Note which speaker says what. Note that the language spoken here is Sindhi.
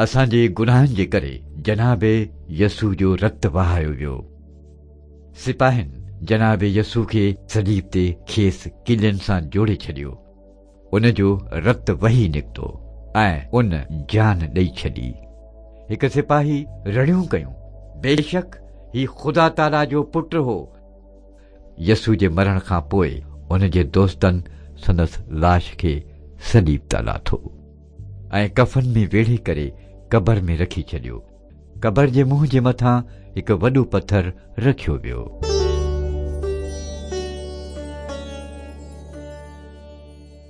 Speaker 1: اسان جي گناهن جي ڪري جناب يسوع جو رت وهايو ويو. سپاهين جناب يسوع کي صليب تي کيس ڪلين سان جوڙي ڇڏيو. ان جو رت وهي نڪتو ۽ ان جان ڏئي ڇڏي. هڪ سپاهي رڙيون ڪيون، بيشڪ هي خدا تعاليٰ جو پٽ هو. يسوع جي مرڻ کان پوء ان جي دوستن سندس لاش کي صليب تان لاٿو ۽ ڪفن ۾ ويڙهي ڪري قبر ۾ رکي ڇڏيو. قبر جي منهن جي مٿان هڪ وڏو پٿر رکيو ويو.